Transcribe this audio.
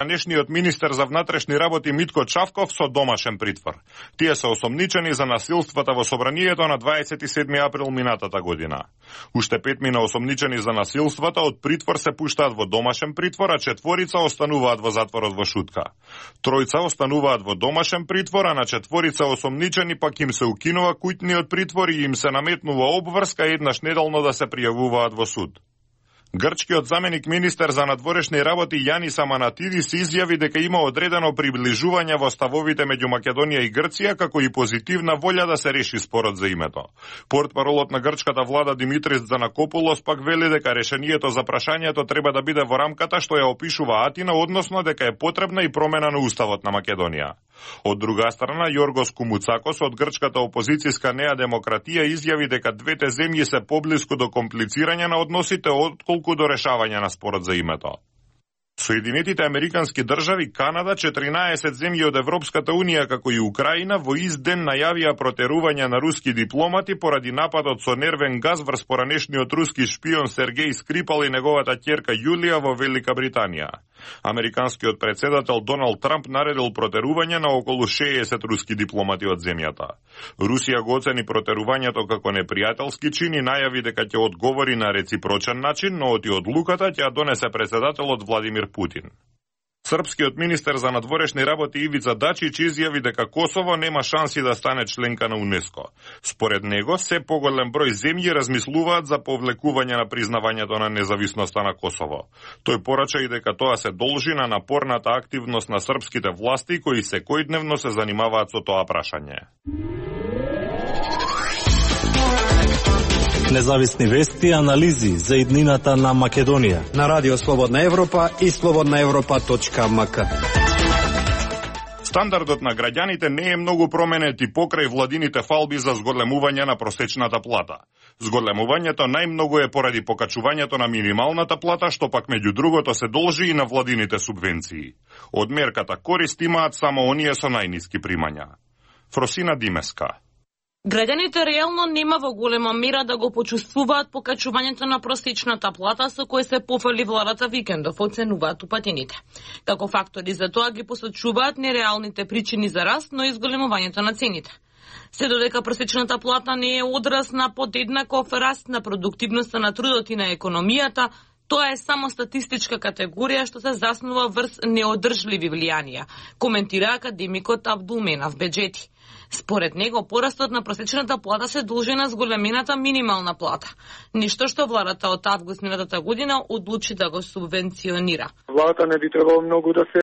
Денешниот министер за внатрешни работи Митко Чавков со домашен притвор. Тие се осомничени за насилствата во собранието на 27 април минатата година. Уште 5 мина осомничени за насилствата од притвор се пуштаат во домашен притвор, а 4 остануваат во затворот во Шутка. 3 остануваат во домашен притвор, а на 4 осомничени пак им се укинува куќниот притвор и им се наметнува обврска еднаш неделно да се пријавуваат во суд. Грчкиот заменик министер за надворешни работи Јанис Аманатидис изјави дека има одредено приближување во ставовите меѓу Македонија и Грција, како и позитивна волја да се реши спорот за името. Портпаролот на грчката влада Димитрис Занакопулос пак вели дека решението за прашањето треба да биде во рамката што ја опишува Атина, односно дека е потребна и промена на уставот на Македонија. Од друга страна, Јоргос Кумуцакос од грчката опозицијска Неа Демократија изјави дека двете земји се поблиску до комплицирање на односите отколку до решавање на спорот за името. Соединетите Американски држави, Канада, 14 земји од Европската Унија, како и Украина, во ист ден најавија протерување на руски дипломати поради нападот со нервен газ врз поранешниот руски шпион Сергеј Скрипал и неговата ќерка Јулија во Велика Британија. Американскиот председател Доналд Трамп наредил протерување на околу 60 руски дипломати од земјата. Русија го оцени протерувањето како непријателски чин и најави дека ќе одговори на реципрочен начин, но оти одлуката ќе ја донесе председателот Владимир Путин. Српскиот министер за надворешни работи Ивица Дачич изјави дека Косово нема шанси да стане членка на УНЕСКО. Според него, се поголем број земји размислуваат за повлекување на признавањето на независноста на Косово. Тој порача и дека тоа се должи на напорната активност на српските власти кои секојдневно се занимаваат со тоа прашање. Независни вести и анализи за иднината на Македонија на Радио Слободна Европа и slobodnaevropa.mk. Стандардот на граѓаните не е многу променет и покрај владините фалби за зголемување на просечната плата. Зголемувањето најмногу е поради покачувањето на минималната плата, што пак меѓу другото се должи и на владините субвенции. Од мерката корист имаат само оние со најниски примања. Фросина Димеска. Граѓаните реално нема во голема мера да го почувствуваат покачувањето на просечната плата со кој се пофали владата викендов, оценуваат упатените. Како фактори за тоа ги посочуваат нереалните причини за раст, но и зголемувањето на цените. Се додека просечната плата не е одраз на подеднаков раст на продуктивноста на трудот и на економијата, тоа е само статистичка категорија што се заснува врз неодржливи влијанија, коментира академикот Абдулменав Беџети. Според него, порастот на просечната плата се должи на зголемената минимална плата, ништо што владата од август минатата година одлучи да го субвенционира. Владата не би требало многу да се